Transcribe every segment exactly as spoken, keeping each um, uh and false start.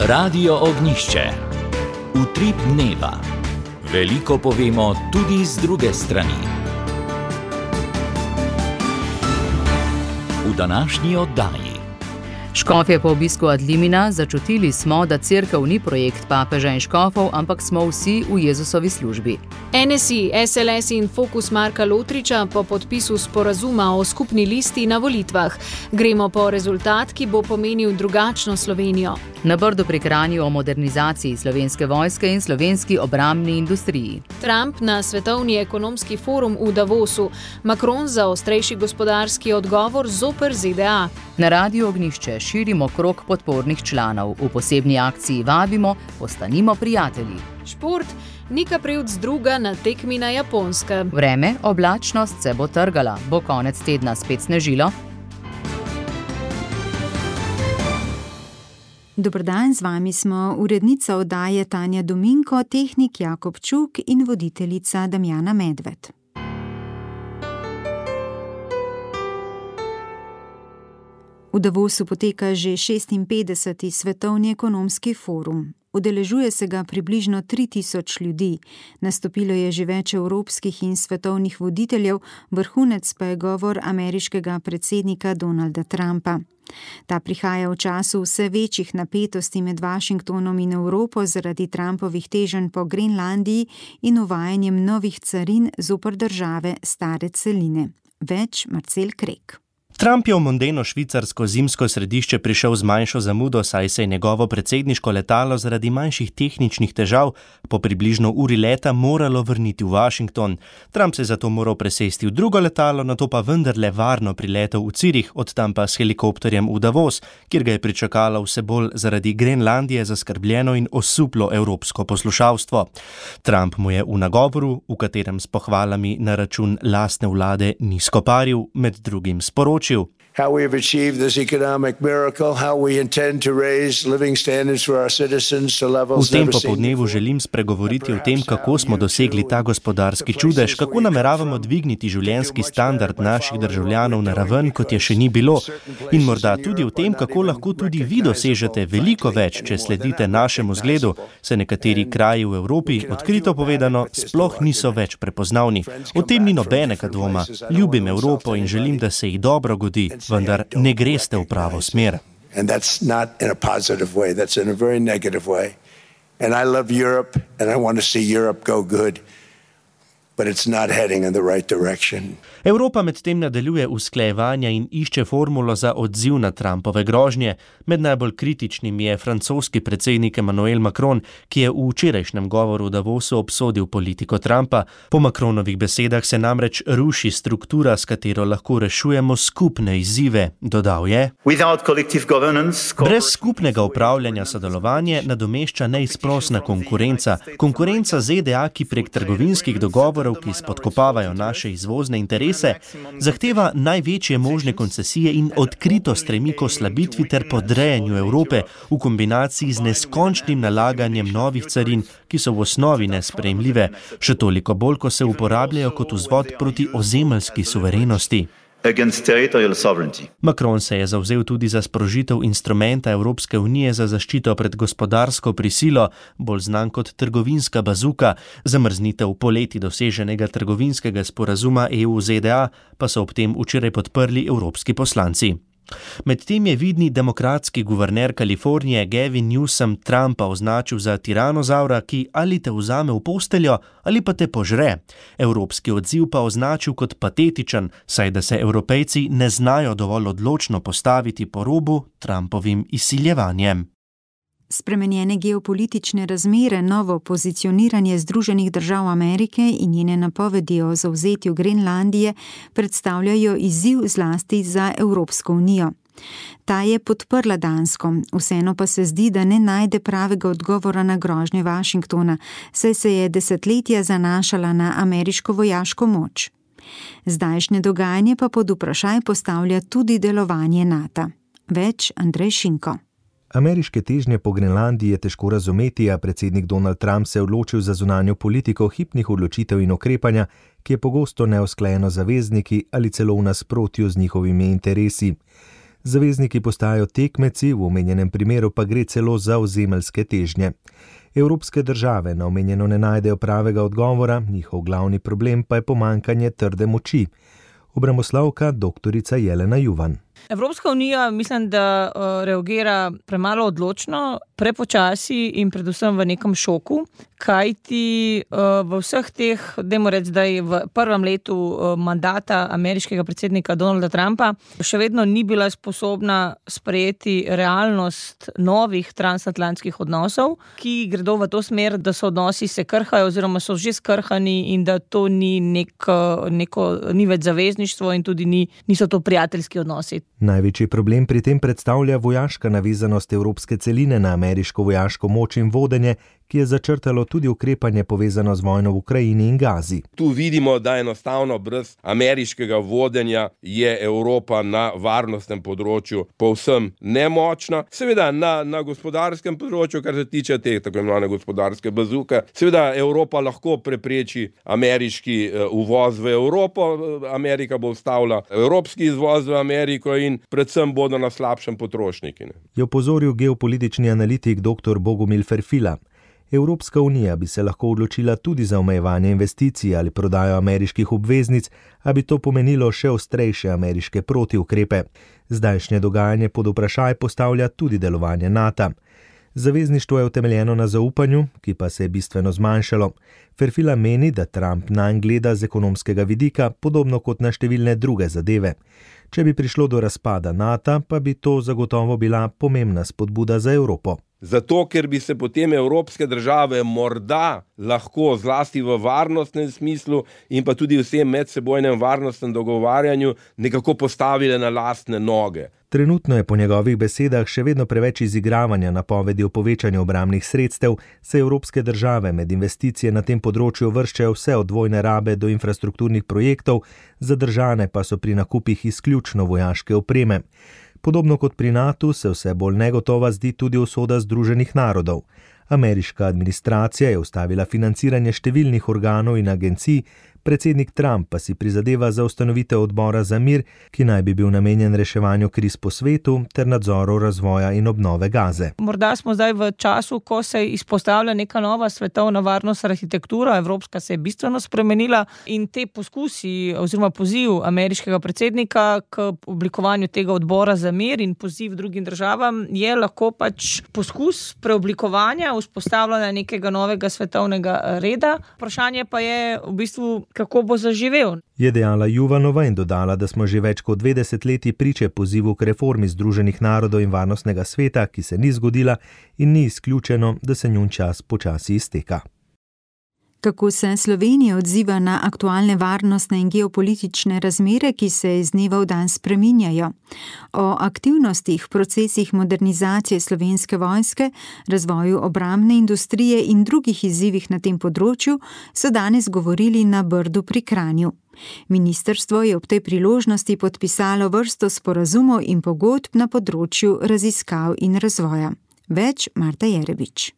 Radio Ognišče. Utrip dneva. Veliko povemo tudi z druge strani. V današnji oddaji. Škofje po obisku Adlimina začutili smo, da cerkev ni projekt papeža in škofov, ampak smo vsi v Jezusovi službi. N S I, S L S in Fokus Marka Lotriča po podpisu sporazuma o skupni listi na volitvah. Gremo po rezultat, ki bo pomenil drugačno Slovenijo. Na Brdu pri Kranju o modernizaciji Slovenske vojske in slovenski obrambni industriji. Trump na Svetovni ekonomski forum v Davosu. Macron za ostrejši gospodarski odgovor zoper Z D A. Na Radiu Ognišče širimo krog podpornih članov. V posebni akciji vabimo, postanimo prijatelji. Šport, Nika Prevc druga na tekmi na Japonskem. Vreme, oblačnost se bo trgala. Bo konec tedna spet snežilo? Dober dan, z vami smo urednica oddaje Tanja Dominko, tehnik Jakob Čuk in voditeljica Damjana Medved. V Davosu poteka že šestinpetdeseti Svetovni ekonomski forum. Udeležuje se ga približno tri tisoč ljudi. Nastopilo je že več evropskih in svetovnih voditeljev, vrhunec pa je govor ameriškega predsednika Donalda Trumpa. Ta prihaja v času vse večjih napetosti med Washingtonom in Evropo zaradi Trumpovih teženj po Grenlandiji in uvajanjem novih carin zoper države stare celine. Več Marcel Krek. Trump je v mondeno švicarsko zimsko središče prišel z manjšo zamudo, saj se je njegovo predsedniško letalo zaradi manjših tehničnih težav po približno uri leta moralo vrniti v Washington. Trump se je zato moral presesti v drugo letalo, nato pa vendarle varno priletel v Cirih, od tam pa s helikopterjem v Davos, kjer ga je pričakalo vse bolj zaradi Grenlandije zaskrbljeno in osuplo evropsko poslušalstvo. Trump mu je v nagovoru, v katerem s pohvalami na račun lastne vlade ni skoparil, med drugim sporočil: How we have achieved this economic miracle, how we intend to raise living standards for our citizens to levels V tem never seen popodnevu before. želim spregovoriti o tem, kako smo dosegli ta gospodarski čudež, kako nameravamo dvigniti življenjski standard naših državljanov na raven, kot je še ni bilo, in morda tudi o tem, kako lahko tudi vi dosežete veliko več, če sledite našemu zgledu, se nekateri kraji v Evropi, odkrito povedano, sploh niso več prepoznavni. O tem ni nobenega dvoma. Ljubim Evropo in želim, da se ji dobro godi, vendar ne greste v pravo smer. And that's not in a positive way, that's in a very negative way. And I love Europe and I want to see Europe go good, but it's not heading in the right direction. Evropa medtem nadaljuje usklajevanja in išče formulo za odziv na Trumpove grožnje. Med najbolj kritičnimi je francoski predsednik Emmanuel Macron, ki je v včerajšnjem govoru v Davosu obsodil politiko Trumpa. Po Macronovih besedah se namreč ruši struktura, s katero lahko rešujemo skupne izzive. Dodal je: Brez skupnega upravljanja sodelovanje nadomešča neizprosna konkurenca. Konkurenca Z D A, ki prek trgovinskih dogovorov, ki spodkopavajo naše izvozne interese, zahteva največje možne koncesije in odkrito stremi k oslabitvi ter podrejanju Evrope v kombinaciji z neskončnim nalaganjem novih carin, ki so v osnovi nesprejemljive, še toliko bolj, ko se uporabljajo kot vzvod proti ozemeljski suverenosti. Macron se je zavzel tudi za sprožitev instrumenta Evropske unije za zaščito pred gospodarsko prisilo, bolj znan kot trgovinska bazuka. Zamrznitev poleti doseženega trgovinskega sporazuma E U-Z D A pa so ob tem včeraj podprli evropski poslanci. Medtem je vidni demokratski guverner Kalifornije Gavin Newsom Trumpa označil za tiranozavra, ki ali te vzame v posteljo ali pa te požre. Evropski odziv pa označil kot patetičen, saj da se Evropejci ne znajo dovolj odločno postaviti po robu Trumpovim izsiljevanjem. Spremenjene geopolitične razmere, novo pozicioniranje Združenih držav Amerike in njene napovedi o zavzetju Grenlandije predstavljajo izziv zlasti za Evropsko unijo. Ta je podprla Dansko, vseeno pa se zdi, da ne najde pravega odgovora na grožnje Washingtona, saj se je desetletja zanašala na ameriško vojaško moč. Zdajšnje dogajanje pa pod vprašaj postavlja tudi delovanje NATO. Več Andrej Šinko. Ameriške težnje po Grenlandiji je težko razumeti, a predsednik Donald Trump se je odločil za zunanjo politiko hipnih odločitev in ukrepanja, ki je pogosto neusklajeno z zavezniki ali celo v nasprotju z njihovimi interesi. Zavezniki postajajo tekmeci, v omenjenem primeru pa gre celo za ozemeljske težnje. Evropske države na omenjeno ne najdejo pravega odgovora, njihov glavni problem pa je pomankanje trde moči. Obramboslovka doktorica Jelena Juvan. Evropska unija mislim, da reagira premalo odločno, prepočasi in predvsem v nekem šoku, kajti v vseh teh, dajmo reči, da je v prvem letu mandata ameriškega predsednika Donalda Trumpa še vedno ni bila sposobna sprejeti realnost novih transatlantskih odnosov, ki gredo v to smer, da so odnosi se krhajo oziroma so že skrhani in da to ni neko, neko ni več zavezništvo in tudi ni, niso to prijateljski odnosi. Največji problem pri tem predstavlja vojaška navezanost evropske celine na ameriško vojaško moč in vodenje, ki je začrtalo tudi ukrepanje povezano z vojno v Ukrajini in Gazi. Tu vidimo, da enostavno brez ameriškega vodenja je Evropa na varnostnem področju povsem nemočna. Seveda na, na gospodarskem področju, kar se tiče te tako imenovane gospodarske bazuke, seveda Evropa lahko prepreči ameriški uvoz v Evropo, Amerika bo ustavila evropski izvoz v Ameriko in predvsem bodo na slabšem potrošniki. Ne? Je opozoril geopolitični analitik dr. Bogomil Ferfila. Evropska unija bi se lahko odločila tudi za omejevanje investicij ali prodajo ameriških obveznic, a bi to pomenilo še ostrejše ameriške protiukrepe. Zdajšnje dogajanje pod vprašaj postavlja tudi delovanje NATO. Zavezništvo je utemeljeno na zaupanju, ki pa se je bistveno zmanjšalo. Ferfila meni, da Trump nanj gleda z ekonomskega vidika, podobno kot na številne druge zadeve. Če bi prišlo do razpada NATO, pa bi to zagotovo bila pomembna spodbuda za Evropo. Zato, ker bi se potem evropske države morda lahko zlasti v varnostnem smislu in pa tudi vsem medsebojnem varnostnem dogovarjanju nekako postavile na lastne noge. Trenutno je po njegovih besedah še vedno preveč izigravanja napovedi o povečanju obrambnih sredstev, se evropske države med investicije na tem področju vrščajo vse od vojne rabe do infrastrukturnih projektov, zadržane pa so pri nakupih izključno vojaške opreme. Podobno kot pri NATO se vse bolj negotova zdi tudi usoda Združenih narodov. Ameriška administracija je ustavila financiranje številnih organov in agencij, predsednik Trump pa si prizadeva za ustanovitev odbora za mir, ki naj bi bil namenjen reševanju kriz po svetu ter nadzoru razvoja in obnove Gaze. Morda smo zdaj v času, ko se izpostavlja neka nova svetovna varnostna arhitektura, evropska se je bistveno spremenila in te poskusi oziroma poziv ameriškega predsednika k oblikovanju tega odbora za mir in poziv drugim državam je lahko pač poskus preoblikovanja, vzpostavljanja nekega novega svetovnega reda. Vprašanje pa je v bistvu, kako bo zaživel. Je dejala Juvanova in dodala, da smo že več kot dve desetletji priče pozivu k reformi Združenih narodov in varnostnega sveta, ki se ni zgodila in ni izključeno, da se njun čas počasi izteka. Kako se Slovenija odziva na aktualne varnostne in geopolitične razmere, ki se iz dneva v dan spreminjajo? O aktivnostih, procesih modernizacije slovenske vojske, razvoju obrambne industrije in drugih izzivih na tem področju so danes govorili na Brdu pri Kranju. Ministrstvo je ob tej priložnosti podpisalo vrsto sporazumov in pogodb na področju raziskav in razvoja. Več Marta Jerebič.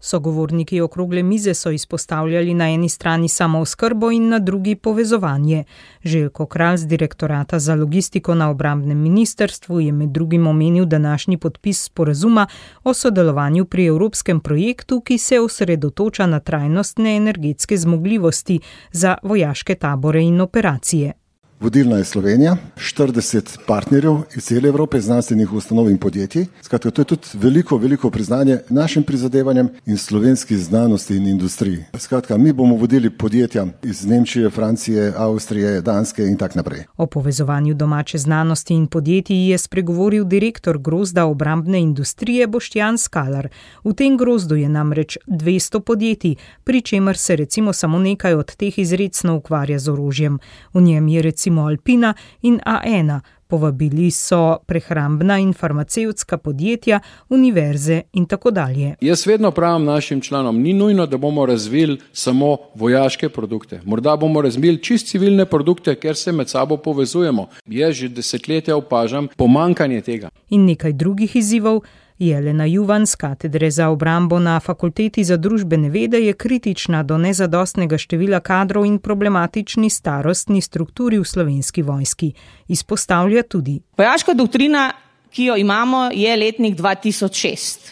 Sogovorniki okrogle mize so izpostavljali na eni strani samooskrbo in na drugi povezovanje. Željko Kralj z direktorata za logistiko na obrambnem ministrstvu je med drugim omenil današnji podpis sporazuma o sodelovanju pri evropskem projektu, ki se osredotoča na trajnostne energetske zmogljivosti za vojaške tabore in operacije. Vodilna je Slovenija, štirideset partnerjev iz cele Evrope, znanstvenih ustanov in podjetij. Skratka, to je tudi veliko, veliko priznanje našim prizadevanjem in slovenski znanosti in industriji. Skratka, mi bomo vodili podjetja iz Nemčije, Francije, Avstrije, Danske in tak naprej. O povezovanju domače znanosti in podjetij je spregovoril direktor grozda obrambne industrije Boštjan Skalar. V tem grozdu je namreč dvesto podjetij, pri čemer se recimo samo nekaj od teh izredno ukvarja z orožjem. V njem je recimo Alpina in A ena. Povabili so prehrambna in farmacevtska podjetja, univerze in tako dalje. Jaz vedno pravim našim članom, ni nujno, da bomo razvili samo vojaške produkte. Morda bomo razvili čist civilne produkte, ker se med sabo povezujemo. Jaz že desetletja opažam pomankanje tega. In nekaj drugih izzivov Jelena Juvan z katedre za obrambo na Fakulteti za družbene vede je kritična do nezadostnega števila kadrov in problematični starostni strukturi v Slovenski vojski. Izpostavlja tudi: vojaška doktrina, ki jo imamo, je letnik dva tisoč šest.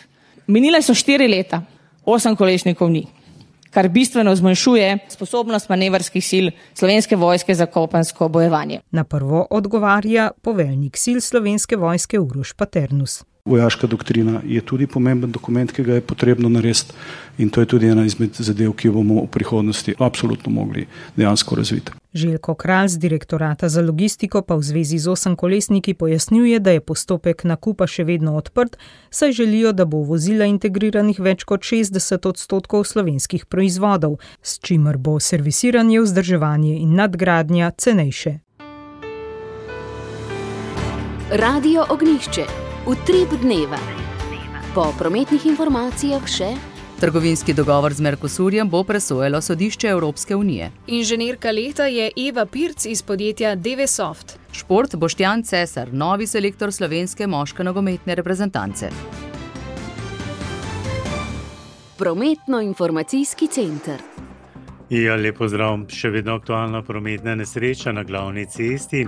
Minile so štiri leta, osem kolesnikov ni, kar bistveno zmanjšuje sposobnost manevrskih sil Slovenske vojske za kopensko bojevanje. Na prvo odgovarja poveljnik sil Slovenske vojske Uroš Paternus. Vojaška doktrina je tudi pomemben dokument, ki ga je potrebno narediti, in to je tudi ena izmed zadev, ki jo bomo v prihodnosti absolutno mogli dejansko razviti. Željko Kralj z direktorata za logistiko pa v zvezi z osemkolesniki pojasnjuje, da je postopek nakupa še vedno odprt, saj želijo, da bo v vozila integriranih več kot šestdeset odstotkov slovenskih proizvodov, s čimer bo servisiranje, vzdrževanje in nadgradnja cenejše. Radio Ognjišče. Utrip dneva. Po prometnih informacijah še: trgovinski dogovor z Mercosurjem bo presojalo sodišče Evropske unije. Inženirka leta je Eva Pirc iz podjetja Devesoft. Šport Boštjan Cesar, novi selektor slovenske moške nogometne reprezentance. Prometno-informacijski center. Ja, lep pozdrav. Še vedno aktualna prometna nesreča na glavni cesti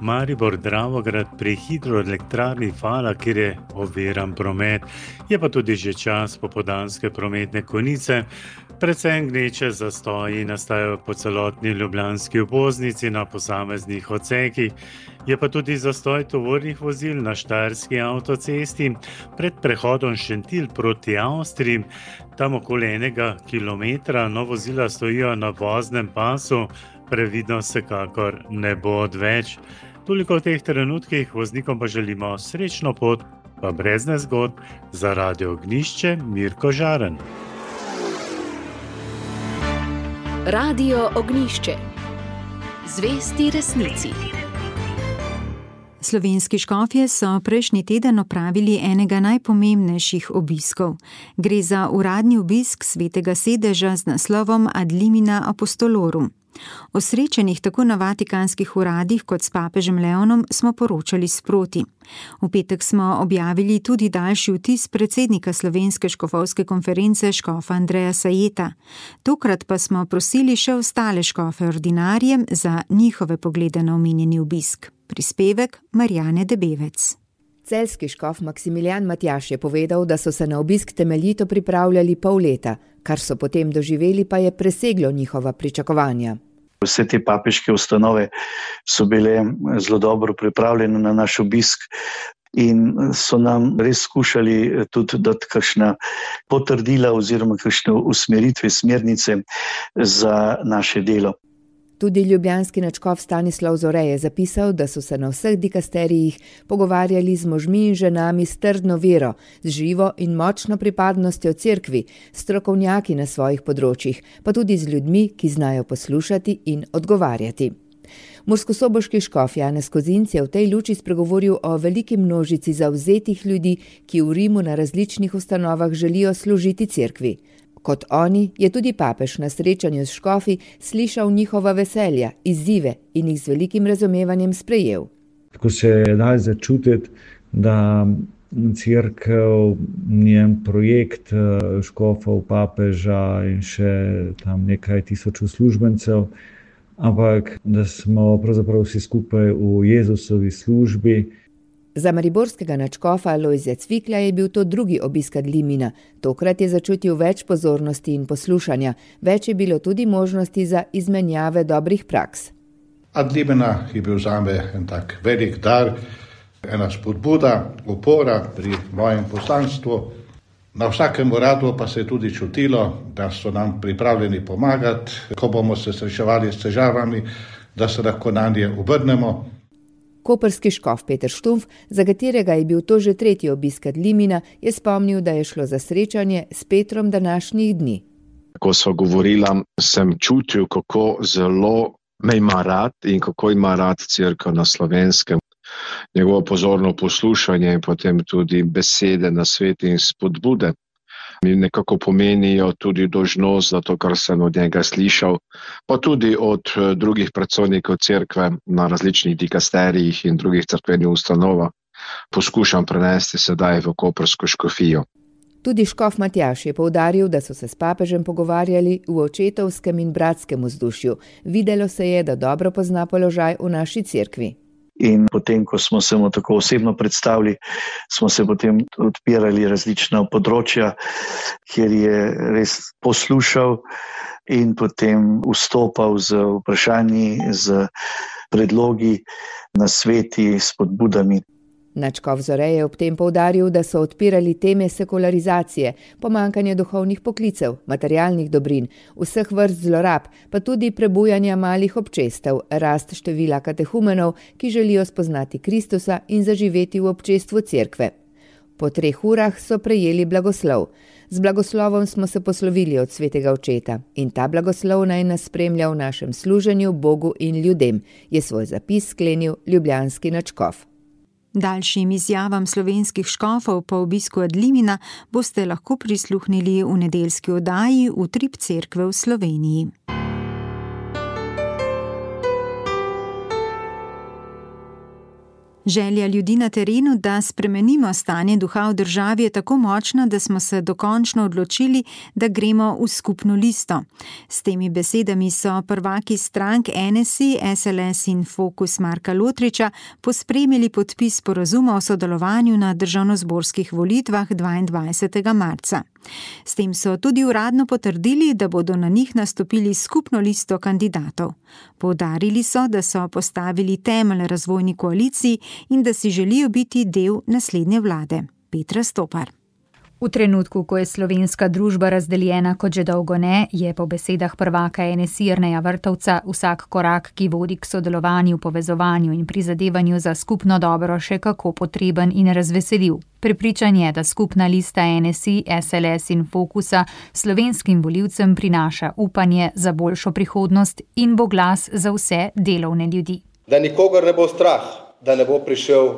Maribor-Dravograd pri hidroelektrarni Fala, kjer je oviran promet. Je pa tudi že čas popoldanske prometne konice. Predvsem gneče zastoji nastajajo po celotni ljubljanski obvoznici na posameznih odsekih. Je pa tudi zastoj tovornih vozil na štajerski avtocesti pred prehodom Šentilj proti Avstriji. Tam okoli enega kilometra no vozila stojijo na voznem pasu, previdnost vsekakor ne bo odveč. Toliko v teh trenutkih, voznikom pa želimo srečno pot, pa brez nezgod. Za Radio Ognjišče Mirko Žaren. Radio Ognjišče. Zvesti resnici. Slovenski škofje so prejšnji teden opravili enega najpomembnejših obiskov. Gre za uradni obisk svetega sedeža z naslovom Ad limina apostolorum. O srečanjih tako na vatikanskih uradih kot s papežem Leonom smo poročali sproti. V petek smo objavili tudi daljši vtis predsednika Slovenske škofovske konference škofa Andreja Sajeta. Tokrat pa smo prosili še ostale škofe ordinarije za njihove poglede na omenjeni obisk. Prispevek Marjane Debevec. Celjski škof Maksimilijan Matjaž je povedal, da so se na obisk temeljito pripravljali pol leta, kar so potem doživeli, pa je preseglo njihova pričakovanja. Vse te papeške ustanove so bile zelo dobro pripravljene na naš obisk in so nam res skušali tudi dati kakšna potrdila oziroma kakšne usmeritve, smernice za naše delo. Tudi ljubljanski nadškof Stanislav Zore je zapisal, da so se na vseh dikasterijih pogovarjali z možmi in ženami s trdno vero, z živo in močno pripadnostjo cerkvi, strokovnjaki na svojih področjih, pa tudi z ljudmi, ki znajo poslušati in odgovarjati. Murskosoboški škof Janez Kozinc je v tej luči spregovoril o veliki množici zavzetih ljudi, ki v Rimu na različnih ustanovah želijo služiti cerkvi. Kot oni je tudi papež na srečanju s škofi slišal njihova veselja, izzive in jih z velikim razumevanjem sprejel. Tako se je dal začutiti, da cerkev, njen projekt škofov, papeža in še tam nekaj tisoč uslužbencev, ampak da smo pravzaprav vsi skupaj v Jezusovi službi. Za mariborskega nadškofa Lojzija Cvikla je bil to drugi obisk Ad limina. Tokrat je začutil več pozornosti in poslušanja. Več je bilo tudi možnosti za izmenjave dobrih praks. Ad limina je bil zame en tak velik dar, ena spodbuda, opora pri mojem poslanstvu. Na vsakem uradu pa se je tudi čutilo, da so nam pripravljeni pomagati, ko bomo se srečevali s težavami, da se lahko nanje obrnemo. Koprski škof Peter Štumf, za katerega je bil to že tretji obisk Ad limina, je spomnil, da je šlo za srečanje s Petrom današnjih dni. Ko sva govorila, sem čutil, kako zelo me ima rad in kako ima rad cerkev na Slovenskem. Njegovo pozorno poslušanje in potem tudi besede, nasvete in spodbude mi nekako pomenijo tudi dolžnost za to, kar sem od njega slišal, pa tudi od drugih predstojnikov cerkve na različnih dikasterijih in drugih cerkvenih ustanovah. poskušam prenesti sedaj v koprsko škofijo. Tudi škof Matjaž je poudaril, da so se s papežem pogovarjali v očetovskem in bratskem vzdušju. Videlo se je, da dobro pozna položaj v naši cerkvi. In potem, ko smo se mu tako osebno predstavili, smo se potem odpirali različna področja, kjer je res poslušal in potem vstopal z vprašanji, z predlogi, nasveti, spodbudami. Nadškof Zore je ob tem poudaril, da so odpirali teme sekularizacije, pomanjkanja duhovnih poklicev, materialnih dobrin, vseh vrst zlorab, pa tudi prebujanja malih občestev, rast števila katehumenov, ki želijo spoznati Kristusa in zaživeti v občestvu cerkve. Po treh urah so prejeli blagoslov. Z blagoslovom smo se poslovili od svetega očeta in ta blagoslov naj nas spremlja v našem služenju Bogu in ljudem, je svoj zapis sklenil ljubljanski nadškof. Daljšim izjavam slovenskih škofov po obisku Adlimina boste lahko prisluhnili v nedeljski oddaji Utrip cerkve v Sloveniji. Želja ljudi na terenu, da spremenimo stanje duha v državi, je tako močna, da smo se dokončno odločili, da gremo v skupno listo. S temi besedami so prvaki strank N S I, S L S in Fokus Marka Lotriča pospremili podpis sporazuma o sodelovanju na državnozborskih volitvah dvaindvajsetega marca. S tem so tudi uradno potrdili, da bodo na njih nastopili skupno listo kandidatov. Poudarili so, da so postavili temelj razvojni koaliciji in da si želijo biti del naslednje vlade. Petra Stopar. V trenutku, ko je slovenska družba razdeljena kot že dolgo ne, je po besedah prvaka N S I Jerneja Vrtovca vsak korak, ki vodi k sodelovanju, povezovanju in prizadevanju za skupno dobro, še kako potreben in razveseljiv. Prepričan je, da skupna lista N S I, S L S in Fokusa slovenskim volivcem prinaša upanje za boljšo prihodnost in bo glas za vse delovne ljudi. Da nikogar ne bo strah, da ne bo prišel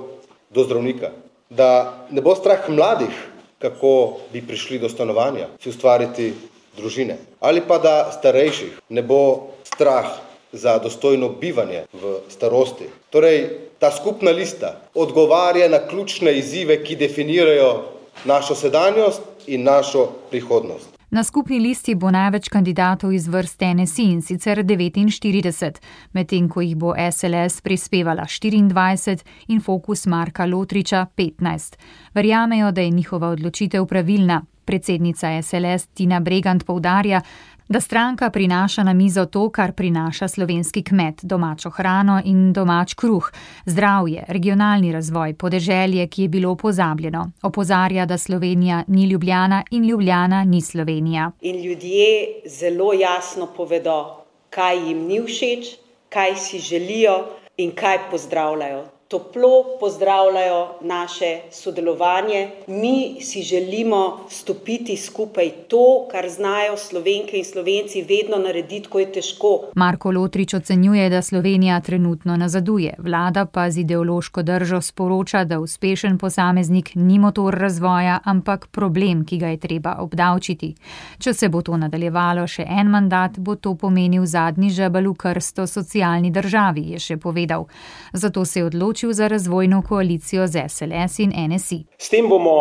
do zdravnika, da ne bo strah mladih, kako bi prišli do stanovanja, si ustvariti družine. Ali pa da starejših ne bo strah za dostojno bivanje v starosti. Torej, ta skupna lista odgovarja na ključne izzive, ki definirajo našo sedanjost in našo prihodnost. Na skupni listi bo največ kandidatov iz vrst N S I, in sicer devetinštirideset, medtem ko jih bo S L S prispevala štiriindvajset in Fokus Marka Lotriča petnajst. Verjamejo, da je njihova odločitev pravilna. Predsednica S L S Tina Bregant poudarja, da stranka prinaša na mizo to, kar prinaša slovenski kmet, domačo hrano in domač kruh, zdravje, regionalni razvoj, podeželje, ki je bilo pozabljeno. Opozarja, da Slovenija ni Ljubljana in Ljubljana ni Slovenija. In ljudje zelo jasno povedo, kaj jim ni všeč, kaj si želijo in kaj pozdravljajo. Toplo pozdravljajo naše sodelovanje. Mi si želimo stopiti skupaj to, kar znajo Slovenke in Slovenci vedno narediti, ko je težko. Marko Lotrič ocenjuje, da Slovenija trenutno nazaduje. Vlada pa z ideološko držo sporoča, da uspešen posameznik ni motor razvoja, ampak problem, ki ga je treba obdavčiti. Če se bo to nadaljevalo še en mandat, bo to pomenil zadnji žebelj v krsto socialni državi, je še povedal. Zato se je odločil za razvojno koalicijo z S L S in N S I. S tem bomo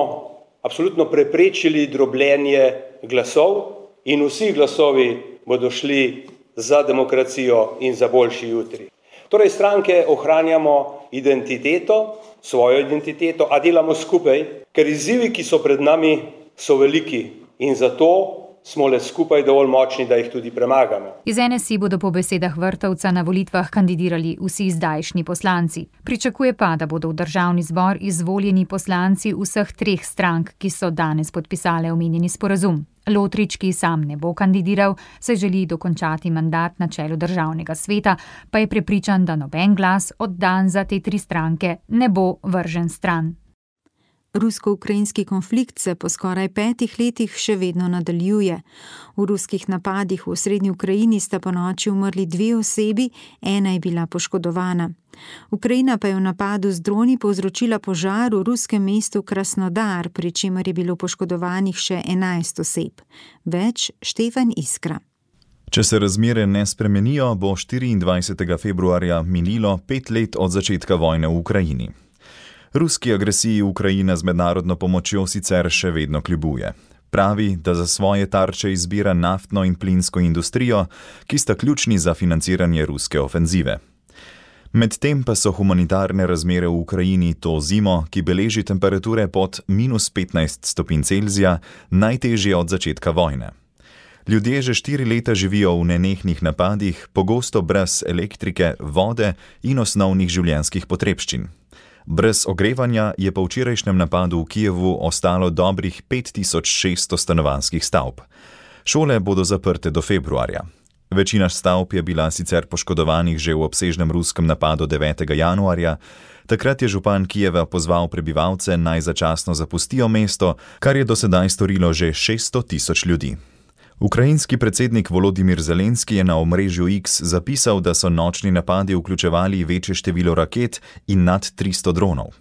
absolutno preprečili drobljenje glasov in vsi glasovi bodo šli za demokracijo in za boljši jutri. Torej stranke ohranjamo identiteto, svojo identiteto, a delamo skupaj, ker izzivi, ki so pred nami, so veliki in zato smo le skupaj dovolj močni, da jih tudi premagamo. Iz N S I bodo po besedah Vrtovca na volitvah kandidirali vsi zdajšnji poslanci. Pričakuje pa, da bodo v državni zbor izvoljeni poslanci vseh treh strank, ki so danes podpisale omenjeni sporazum. Lotrič, ki sam ne bo kandidiral, se želi dokončati mandat na čelu državnega sveta, pa je prepričan, da noben glas oddan za te tri stranke ne bo vržen stran. Rusko-ukrajinski konflikt se po skoraj petih letih še vedno nadaljuje. V ruskih napadih v osrednji Ukrajini sta ponoči umrli dve osebi, ena je bila poškodovana. Ukrajina pa je v napadu z droni povzročila požar v ruskem mestu Krasnodar, pri čemer je bilo poškodovanih še enajst oseb. Več Štefan Iskra. Če se razmere ne spremenijo, bo štiriindvajsetega februarja minilo pet let od začetka vojne v Ukrajini. Ruski agresiji Ukrajina z mednarodno pomočjo sicer še vedno kljubuje. Pravi, da za svoje tarče izbira naftno in plinsko industrijo, ki sta ključni za financiranje ruske ofenzive. Medtem pa so humanitarne razmere v Ukrajini to zimo, ki beleži temperature pod minus petnajst stopinj Celzija, najtežje od začetka vojne. Ljudje že štiri leta živijo v nenehnih napadih, pogosto brez elektrike, vode in osnovnih življenjskih potrebščin. Brez ogrevanja je po včerajšnjem napadu v Kijevu ostalo dobrih pet tisoč šeststo stanovanjskih stavb. Šole bodo zaprte do februarja. Večina stavb je bila sicer poškodovanih že v obsežnem ruskem napadu devetega januarja. Takrat je župan Kijeva pozval prebivalce, naj začasno zapustijo mesto, kar je do sedaj storilo že šeststo tisoč ljudi. Ukrajinski predsednik Volodimir Zelenski je na omrežju X zapisal, da so nočni napadi vključevali večje število raket in nad tristo dronov.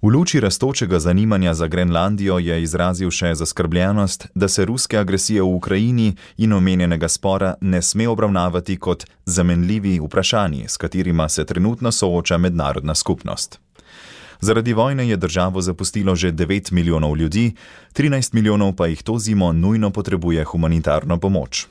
V luči rastočega zanimanja za Grenlandijo je izrazil še zaskrbljenost, da se ruske agresije v Ukrajini in omenjenega spora ne sme obravnavati kot zamenljivi vprašanji, s katerima se trenutno sooča mednarodna skupnost. Zaradi vojne je državo zapustilo že devet milijonov ljudi, trinajst milijonov pa jih to zimo nujno potrebuje humanitarno pomoč.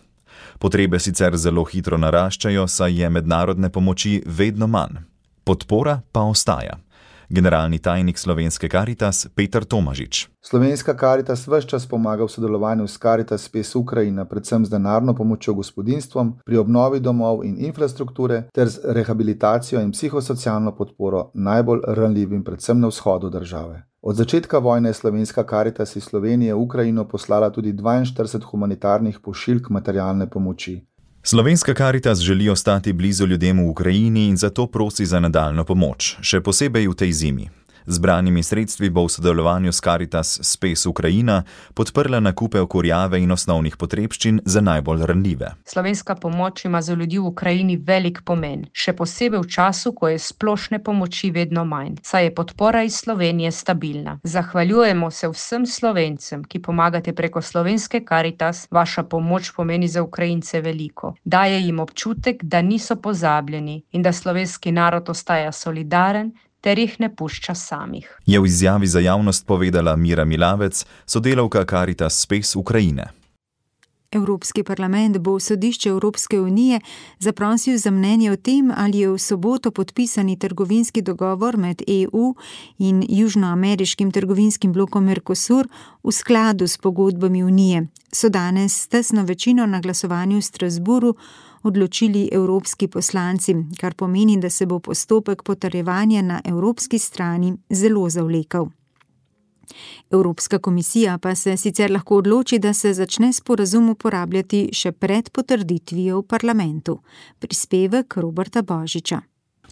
Potrebe sicer zelo hitro naraščajo, saj je mednarodne pomoči vedno manj. Podpora pa ostaja. Generalni tajnik Slovenske Karitas Peter Tomažič. Slovenska Karitas ves čas pomaga v sodelovanju s Karitas Space Ukrajina, predvsem z denarno pomočjo gospodinjstvom, pri obnovi domov in infrastrukture ter z rehabilitacijo in psihosocialno podporo najbolj ranljivim, predvsem na vzhodu države. Od začetka vojne je Slovenska Karitas iz Slovenije v Ukrajino poslala tudi dvainštirideset humanitarnih pošiljk materialne pomoči. Slovenska Karitas želi ostati blizu ljudem v Ukrajini in zato prosi za nadaljno pomoč, še posebej v tej zimi. Zbranimi sredstvi bo v sodelovanju s Karitas Space Ukrajina podprla nakupe kurjave in osnovnih potrebščin za najbolj ranljive. Slovenska pomoč ima za ljudi v Ukrajini velik pomen, še posebej v času, ko je splošne pomoči vedno manj, saj je podpora iz Slovenije stabilna. Zahvaljujemo se vsem Slovencem, ki pomagate preko Slovenske Karitas, vaša pomoč pomeni za Ukrajince veliko. Daje jim občutek, da niso pozabljeni in da slovenski narod ostaja solidaren, ter jih ne pušča samih. Je v izjavi za javnost povedala Mira Milavec, sodelavka Karitas Space Ukrajine. Evropski parlament bo sodišče Evropske unije zaprosil za mnenje o tem, ali je v soboto podpisani trgovinski dogovor med E U in južnoameriškim trgovinskim blokom Mercosur v skladu s pogodbami unije. So danes s tesno večino na glasovanju v Strasburu odločili evropski poslanci, kar pomeni, da se bo postopek potrjevanja na evropski strani zelo zavlekel. Evropska komisija pa se sicer lahko odloči, da se začne sporazum uporabljati še pred potrditvijo v parlamentu. Prispevek Roberta Božiča.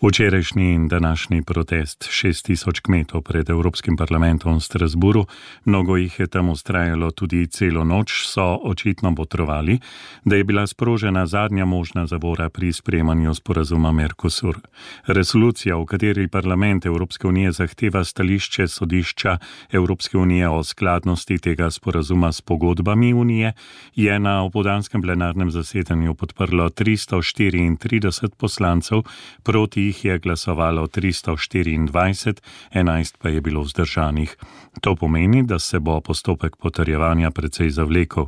Včerajšnji in današnji protest šest tisoč kmetov pred Evropskim parlamentom v Strasburu, mnogo jih je tam ustrajalo tudi celo noč, so očitno botrovali, da je bila sprožena zadnja možna zavora pri sprejemanju sporazuma Mercosur. Resolucija, v kateri parlament Evropske unije zahteva stališče sodišča Evropske unije o skladnosti tega sporazuma s pogodbami unije, je na opoldanskem plenarnem zasedanju podprlo tristo štiriintrideset poslancev, proti jih je glasovalo tristo štiriindvajset, enajst pa je bilo vzdržanih. To pomeni, da se bo postopek potrjevanja precej zavlekel.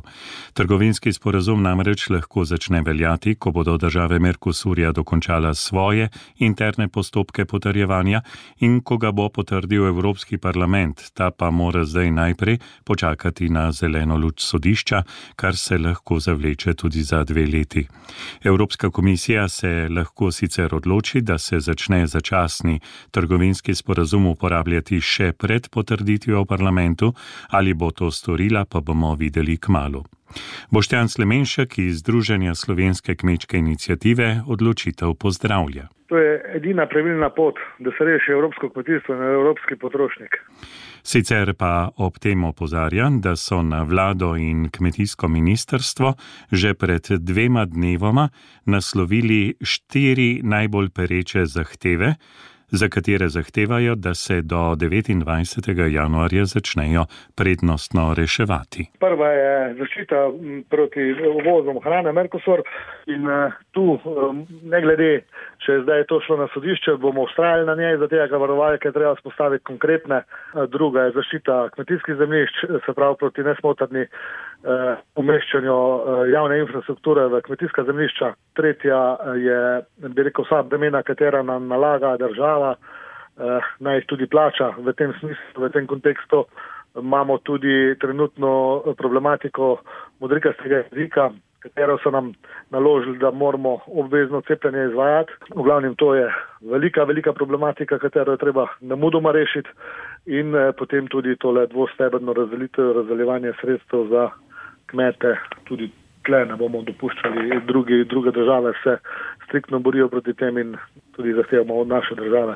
Trgovinski sporazum namreč lahko začne veljati, ko bodo države Mercosurja dokončala svoje interne postopke potrjevanja in ko ga bo potrdil Evropski parlament, ta pa mora zdaj najprej počakati na zeleno luč sodišča, kar se lahko zavleče tudi za dve leti. Evropska komisija se lahko sicer odloči, da se začne začasni trgovinski sporazum uporabljati še pred potrditvijo v parlamentu, ali bo to storila, pa bomo videli kmalu. Boštjan Slemenšek iz Združenja Slovenske kmečke iniciative odločitev pozdravlja. To je edina pravilna pot, da se reši evropsko kmetijstvo in evropski potrošnik. Sicer pa ob tem opozarja, da so na vlado in kmetijsko ministrstvo že pred dvema dnevoma naslovili štiri najbolj pereče zahteve, za katere zahtevajo, da se do devetindvajsetega januarja začnejo prednostno reševati. Prva je zaščita proti uvozom hrane Mercosur in tu, ne glede, če je zdaj to šlo na sodišče, bomo ustrajali na njej, zato ker varovalke treba spostaviti konkretne. Druga je zaščita kmetijskih zemljišč, se pravi proti nesmotrni uh, umeščanju uh, javne infrastrukture v kmetijska zemljišča. Tretja je, bi rekel, vsa bremena, katera nam nalaga država, uh, naj jih tudi plača. V tem smislu, v tem kontekstu imamo tudi trenutno problematiko modrikastega jezika, katero so nam naložili, da moramo obvezno cepljenje izvajati. V glavnem to je velika, velika problematika, katero je treba nemudoma rešiti in eh, potem tudi tole dvostebrno razdelitev, razdeljevanje sredstev za kmete. Tudi tle ne bomo dopuščali, drugi, druge države se striktno borijo proti tem in tudi zahtevamo od naše države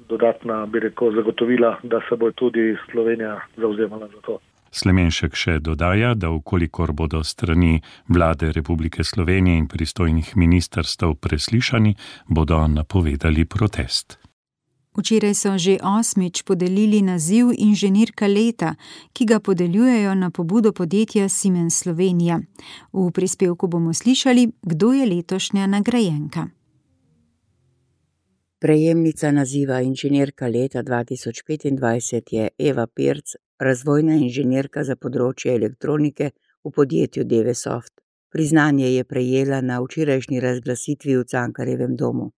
dodatna, bi rekel, zagotovila, da se bo tudi Slovenija zavzemala za to. Slemenšek še dodaja, da ukolikor bodo strani Vlade Republike Slovenije in pristojnih ministrstev preslišani, bodo napovedali protest. Včeraj so že osmič podelili naziv inženirka leta, ki ga podeljujejo na pobudo podjetja Siemens Slovenija. V prispevku bomo slišali, kdo je letošnja nagrajenka. Prejemnica naziva inženirka leta dva tisoč petindvajset je Eva Pirc, razvojna inženirka za področje elektronike v podjetju Devesoft. Priznanje je prejela na včerajšnji razglasitvi v Cankarjevem domu.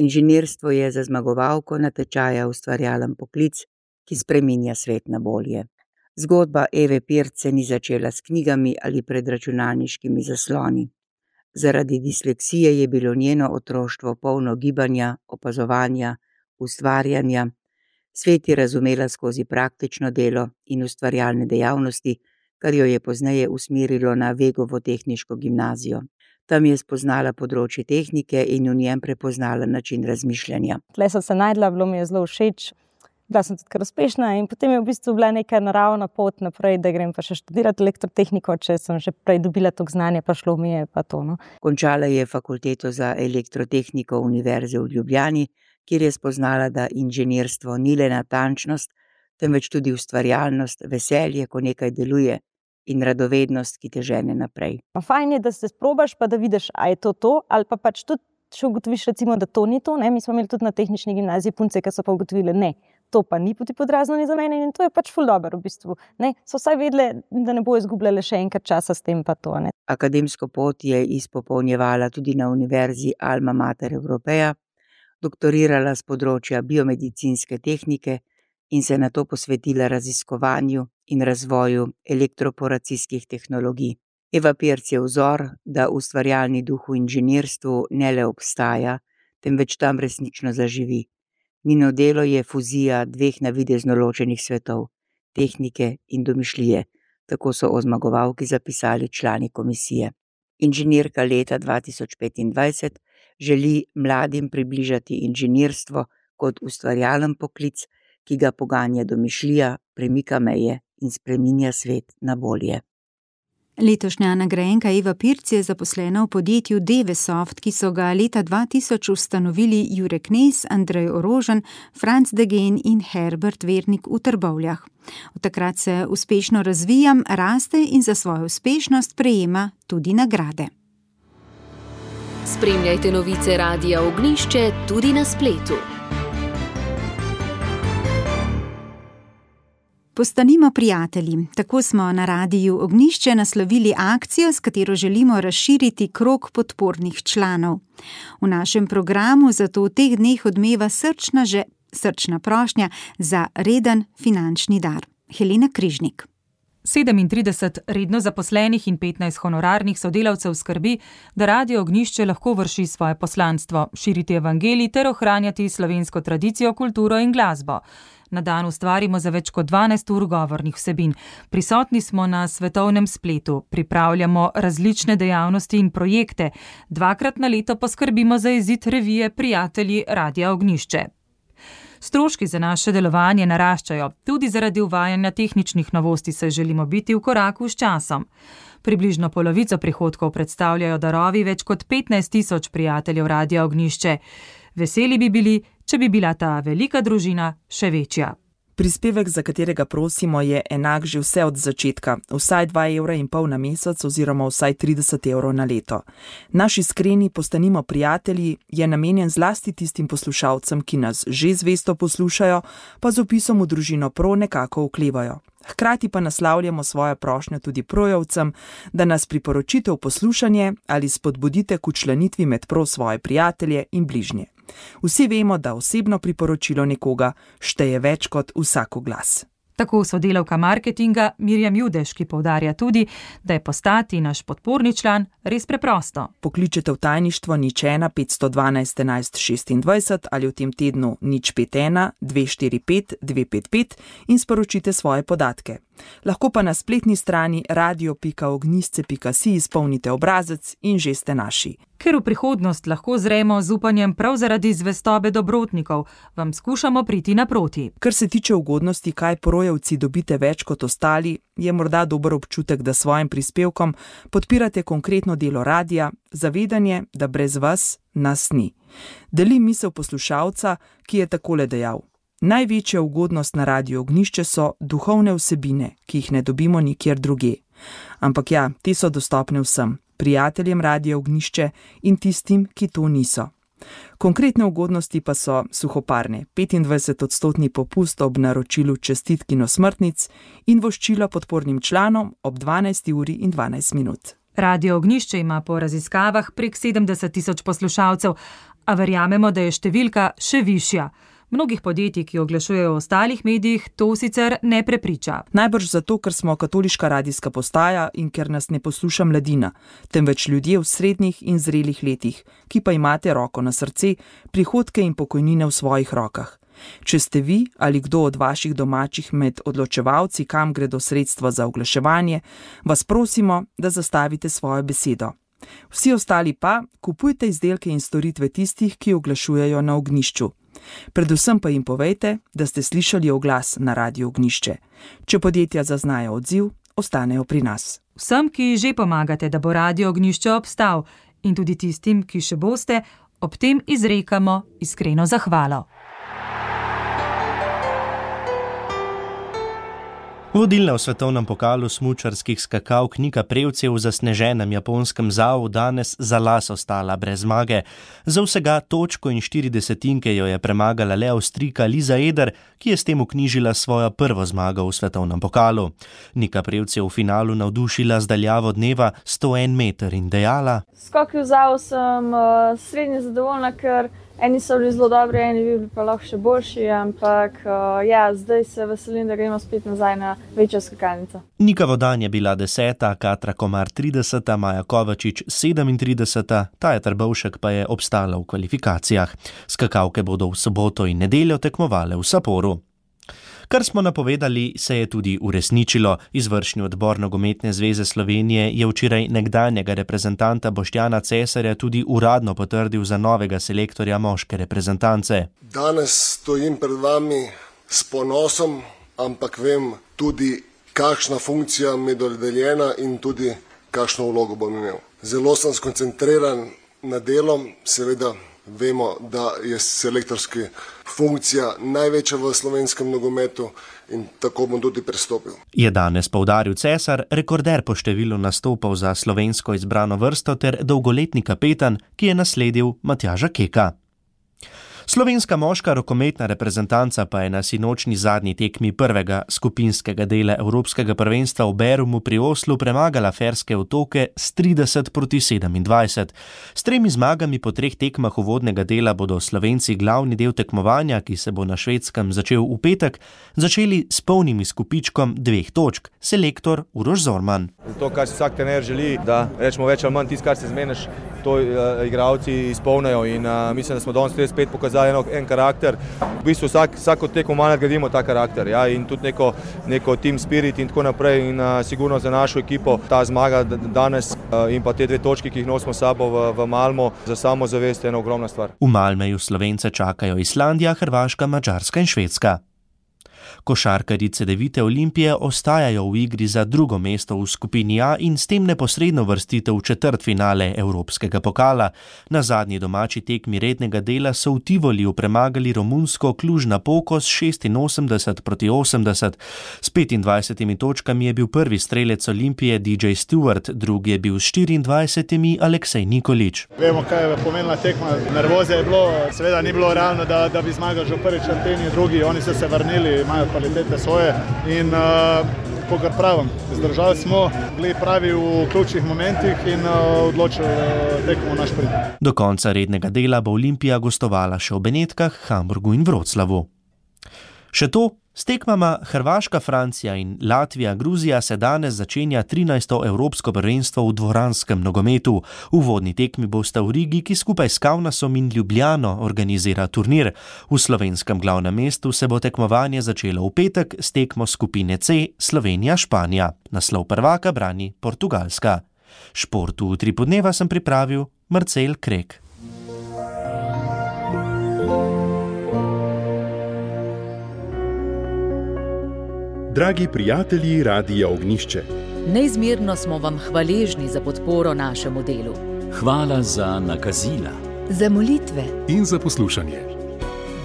Inženirstvo je za zmagovalko natečaja ustvarjalen poklic, ki spreminja svet na bolje. Zgodba Eve Pirc se ni začela s knjigami ali pred računalniškimi zasloni. Zaradi disleksije je bilo njeno otroštvo polno gibanja, opazovanja, ustvarjanja. Svet je razumela skozi praktično delo in ustvarjalne dejavnosti, kar jo je pozneje usmerilo na Vegovo tehniško gimnazijo. Tam je spoznala področje tehnike in v njem prepoznala način razmišljanja. Tle sem se najdla, bilo mi je zelo všeč, bila sem tudi kar uspešna in potem je v bistvu bila neka naravna pot naprej, da grem pa še študirati elektrotehniko, če sem že prej dobila to znanje, pa šlo mi je pa to. No. Končala je fakulteto za elektrotehniko Univerze v Ljubljani, kjer je spoznala, da inženirstvo ni le natančnost, temveč tudi ustvarjalnost, veselje, ko nekaj deluje in radovednost, ki te žene naprej. Pa fajn je, da se sprobaš, pa da vidiš, a je to to, ali pa pač tudi, če ugotoviš recimo, da to ni to, ne? Mi smo imeli tudi na tehnični gimnaziji punce, ki so pa ugotovile, ne, to pa ni poti podrazno ni za mene in to je pač ful dobro v bistvu. Ne? So vsaj vedle, da ne bo izgubljale še enkrat časa s tem pa to. Ne? Akademsko pot je izpopolnjevala tudi na Univerzi Alma Mater Europeja, doktorirala z področja biomedicinske tehnike in se nato posvetila raziskovanju in razvoju elektroporacijskih tehnologij. Eva Pirc je vzor, da ustvarjalni duh v inženirstvu ne le obstaja, temveč tam resnično zaživi. Njeno delo je fuzija dveh navidezno ločenih svetov, tehnike in domišljije, tako so o zmagovalki zapisali člani komisije. Inženirka leta dva tisoč petindvajset želi mladim približati inženirstvo kot ustvarjalen poklic, ki ga poganja domišljija, premika meje in spreminja svet na bolje. Letošnja nagrajenka Eva Pirc je zaposlena v podjetju Devesoft, ki so ga leta dva tisoč ustanovili Jure Knez, Andrej Orožen, Franc Degen in Herbert Vernik v Trbovljah. Od takrat se uspešno razvijam, raste in za svojo uspešnost prejema tudi nagrade. Spremljajte novice Radia Ognjišče tudi na spletu. Postanimo prijatelji. Tako smo na Radiu Ognjišče naslovili akcijo, s katero želimo razširiti krog podpornih članov. V našem programu zato v teh dneh odmeva srčna, že, srčna prošnja za reden finančni dar. Helena Križnik. sedemintrideset redno zaposlenih in petnajst honorarnih sodelavcev skrbi, da Radio Ognjišče lahko vrši svoje poslanstvo, širiti evangelij ter ohranjati slovensko tradicijo, kulturo in glasbo. Na dan ustvarimo za več kot dvanajst ur govornih vsebin. Prisotni smo na svetovnem spletu, pripravljamo različne dejavnosti in projekte. Dvakrat na leto poskrbimo za izid revije Prijatelji Radia Ognjišče. Stroški za naše delovanje naraščajo, tudi zaradi uvajanja tehničnih novosti se želimo biti v koraku s časom. Približno polovico prihodkov predstavljajo darovi več kot petnajst tisoč prijateljev Radia Ognjišče. Veseli bi bili, če bi bila ta velika družina še večja. Prispevek, za katerega prosimo, je enak že vse od začetka, vsaj dva evra in pol na mesec oziroma vsaj trideset evrov na leto. Naš iskreni postanimo prijatelji je namenjen zlasti tistim poslušalcem, ki nas že zvesto poslušajo, pa z opisom v družino prav nekako oklevajo. Hkrati pa naslavljamo svojo prošnjo tudi projevcem, da nas priporočite v poslušanje ali spodbudite k včlanitvi med prav svoje prijatelje in bližnje. Vsi vemo, da osebno priporočilo nekoga šteje več kot vsako glas. Tako sodelavka marketinga Mirjam Judeš, ki poudarja tudi, da je postati naš podporni član res preprosto. Pokličete v tajništvo nič ena petsto dvanajst enajst šestindvajset ali v tem tednu nič pet ena dve štiri pet dve pet pet in sporočite svoje podatke. Lahko pa na spletni strani radio pika ognjišče pika si izpolnite obrazec in že ste naši. Ker v prihodnost lahko zremo z upanjem prav zaradi zvestobe dobrotnikov, vam skušamo priti naproti. Kar se tiče ugodnosti, kaj projevci dobite več kot ostali, je morda dober občutek, da svojim prispevkom podpirate konkretno delo radia, zavedanje, da brez vas nas ni. Delim misel poslušalca, ki je takole dejal. Največja ugodnost na Radiu Ognjišče so duhovne vsebine, ki jih ne dobimo nikjer druge. Ampak ja, te so dostopne vsem, prijateljem Radia Ognjišče in tistim, ki to niso. Konkretne ugodnosti pa so suhoparne, petindvajset odstotni popust ob naročilu čestitk in osmrtnic in voščilo podpornim članom ob dvanajsti uri in dvanajst minut. Radio Ognjišče ima po raziskavah prek sedemdeset tisoč poslušalcev, a verjamemo, da je številka še višja. Mnogih podjetij, ki oglašujejo v ostalih medijih, to sicer ne prepriča. Najbrž zato, ker smo katoliška radijska postaja in ker nas ne posluša mladina, temveč ljudje v srednjih in zrelih letih, ki pa imate roko na srce, prihodke in pokojnine v svojih rokah. Če ste vi ali kdo od vaših domačih med odločevalci, kam gredo sredstva za oglaševanje, vas prosimo, da zastavite svojo besedo. Vsi ostali pa kupujte izdelke in storitve tistih, ki oglašujejo na Ognjišču. Predvsem pa jim povejte, da ste slišali oglas na Radiu Ognjišče. Če podjetja zaznajo odziv, ostanejo pri nas. Vsem, ki že pomagate, da bo Radio Ognjišče obstal, in tudi tistim, ki še boste, ob tem izrekamo iskreno zahvalo. Vodilna v svetovnem pokalu smučarskih skakalk Nika Prevc je v zasneženem japonskem Zau danes za las ostala brez zmage. Za vsega točko in štiri desetinke jo je premagala le Avstrijka Lisa Eder, ki je s tem vknjižila svojo prvo zmago v svetovnem pokalu. Nika Prevc je v finalu navdušila z daljavo dneva sto en meter in dejala: Skoki v Zau sem uh, srednje zadovoljna, ker eni so bili zelo dobri, eni bi bili pa lahko še boljši, ampak uh, ja, zdaj se veselim, da gremo spet nazaj na večjo skakalnico. Nika Vodan je bila deseta, Katra Komar trideseta, Maja Kovačič sedemintrideseta, Taja Trbovšek pa je obstala v kvalifikacijah. Skakalke bodo v soboto in nedeljo tekmovale v Saporu. Kar smo napovedali, se je tudi uresničilo. Izvršni odbor Nogometne zveze Slovenije je včeraj nekdanjega reprezentanta Boštjana Cesarja tudi uradno potrdil za novega selektorja moške reprezentance. Danes stojim pred vami s ponosom, ampak vem tudi, kakšna funkcija mi je dodeljena in tudi kakšno vlogo bom imel. Zelo sem skoncentriran na delo, seveda vemo, da je selektorska funkcija največja v slovenskem nogometu in tako bom tudi pristopil. Je danes poudaril Cesar, rekorder po številu nastopov za slovensko izbrano vrsto ter dolgoletni kapetan, ki je nasledil Matjaža Keka. Slovenska moška rokometna reprezentanca pa je na sinočni zadnji tekmi prvega skupinskega dela Evropskega prvenstva v Berumu pri Oslu premagala Ferske otoke s trideset proti sedemindvajset. S tremi zmagami po treh tekmah uvodnega dela bodo Slovenci glavni del tekmovanja, ki se bo na Švedskem začel v petek, začeli s polnim izkupičkom dveh točk. Selektor Uroš Zorman. To, kar si vsak trener želi, da rečemo več ali manj tisto, kar se zmeniš, to uh, igravci izpolnijo in uh, mislim, da smo danes spet pokazali eno, en karakter. V bistvu vsak, vsako tekmo nadgradimo ta karakter, ja, in tudi neko, neko team spirit in tako naprej in uh, sigurno za našo ekipo ta zmaga danes uh, in pa te dve točki, ki jih nosimo s sabo v, v Malmo, za samozavest je ena ogromna stvar. V Malmeju Slovence čakajo Islandija, Hrvaška, Madžarska in Švedska. Košarkarji Cedevite Olimpije ostajajo v igri za drugo mesto v skupini A in s tem neposredno vrstitev v četrtfinale Evropskega pokala. Na zadnji domači tekmi rednega dela so v Tivoliju premagali romunsko Cluj-Napoco s šestinosemdeset proti osemdeset. S petindvajsetimi točkami je bil prvi strelec Olimpije D J Stewart, drugi je bil s štiriindvajsetimi Aleksej Nikolić. Vemo, kaj je pomenila tekma. Nervoze je bilo, seveda ni bilo realno, da, da bi zmagal že v prvi četrtini, drugi, oni so se vrnili, imajo kvalitete svoje in uh, kakor pravim, zdržali smo, bili pravi v ključnih momentih in uh, odločili uh, tekmo naš prid. Do konca rednega dela bo Olimpija gostovala še v Benetkah, Hamburgu in Vroclavu. Še to, s tekmama Hrvaška, Francija in Latvija, Gruzija se danes začenja trinajsto Evropsko prvenstvo v dvoranskem nogometu. V uvodni tekmi bosta v Rigi, ki skupaj s Kaunasom in Ljubljano organizira turnir. V slovenskem glavnem mestu se bo tekmovanje začelo v petek s tekmo skupine C Slovenija-Španija. Naslov prvaka brani Portugalska. Športu v tri podneva sem pripravil Marcel Krek. Dragi prijatelji Radia Ognjišče, neizmerno smo vam hvaležni za podporo našemu delu. Hvala za nakazila, za molitve in za poslušanje.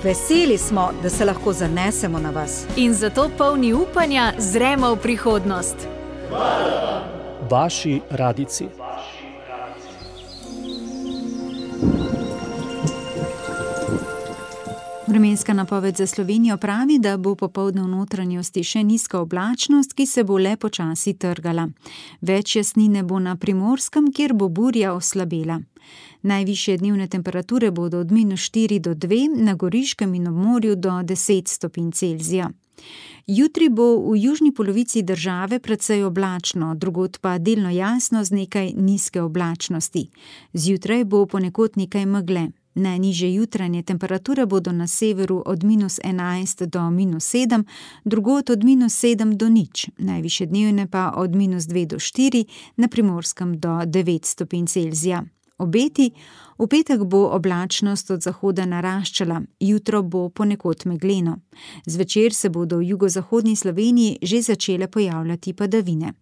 Veseli smo, da se lahko zanesemo na vas. In zato polni upanja zremo v prihodnost. Hvala vam. Vaši radici. Vremenska napoved za Slovenijo pravi, da bo popoldne v notranjosti še nizka oblačnost, ki se bo le počasi trgala. Več jasnine bo na Primorskem, kjer bo burja oslabela. Najvišje dnevne temperature bodo od minus štiri do dve, na Goriškem in ob morju do deset stopinj Celzija. Jutri bo v južni polovici države precej oblačno, drugod pa delno jasno z nekaj nizke oblačnosti. Zjutraj bo ponekod nekaj megle. Najnižje jutranje temperature bodo na severu od minus enajst do minus sedem, drugod od minus sedem do nič, najvišje dnevne pa od minus dve do štiri, na Primorskem do devet stopinj Celzija. Obeti, v petek bo oblačnost od zahoda naraščala, jutro bo ponekod megleno. Zvečer se bodo v jugozahodni Sloveniji že začele pojavljati padavine.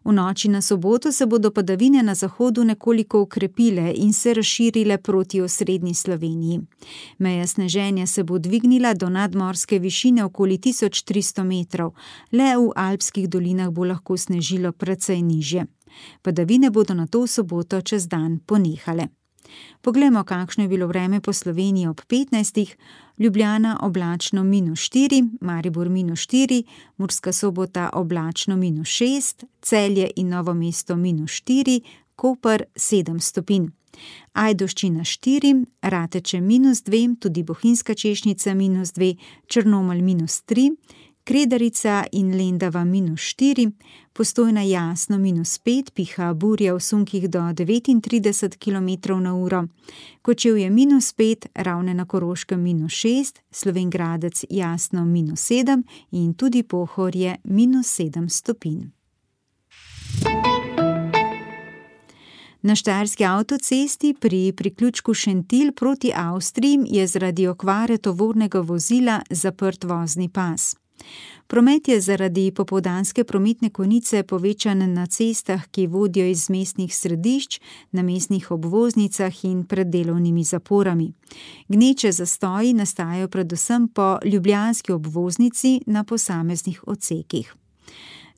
V noči na soboto se bodo padavine na zahodu nekoliko okrepile in se razširile proti osrednji Sloveniji. Meja sneženja se bo dvignila do nadmorske višine okoli tisoč tristo metrov, le v alpskih dolinah bo lahko snežilo precej nižje. Padavine bodo nato v soboto čez dan ponehale. Poglejmo, kakšno je bilo vreme po Sloveniji ob petnajstih. Ljubljana oblačno minus štiri, Maribor minus štiri, Murska Sobota oblačno minus šest, Celje in Novo mesto minus štiri, Koper sedem stopinj. Ajdovščina štiri, Rateče minus dve, tudi Bohinjska Češnica minus dve, Črnomelj minus tri, Kredarica in Lendava minus štiri, Postojna jasno minus pet, piha burja v sunkih do devetintrideset kilometrov na uro, Kočevje minus pet, Ravne na Koroškem minus šest, Slovenj Gradec jasno minus sedem in tudi Pohorje minus sedem stopinj. Na štajerski avtocesti pri priključku Šentilj proti Avstriji je zaradi okvare tovornega vozila zaprt vozni pas. Promet je zaradi popoldanske prometne konice povečan na cestah, ki vodijo iz mestnih središč, na mestnih obvoznicah in pred delovnimi zaporami. Gneče zastoji nastajajo predvsem po ljubljanski obvoznici na posameznih odsekih.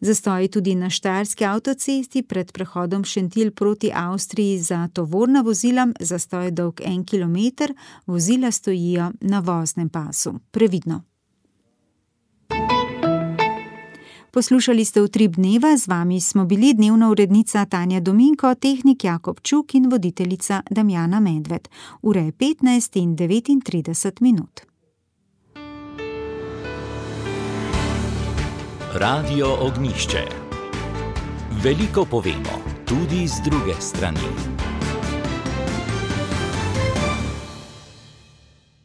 Zastoji tudi na štajerski avtocesti pred prehodom Šentilj proti Avstriji za tovorna vozila, zastoj dolg en kilometer, vozila stojijo na voznem pasu. Previdno. Poslušali ste Utrip dneva, z vami smo bili dnevna urednica Tanja Dominko, tehnik Jakob Čuk in voditeljica Damjana Medved. Ura je petnajst in devetintrideset minut. Radio Ognjišče. Veliko povemo, tudi z druge strani.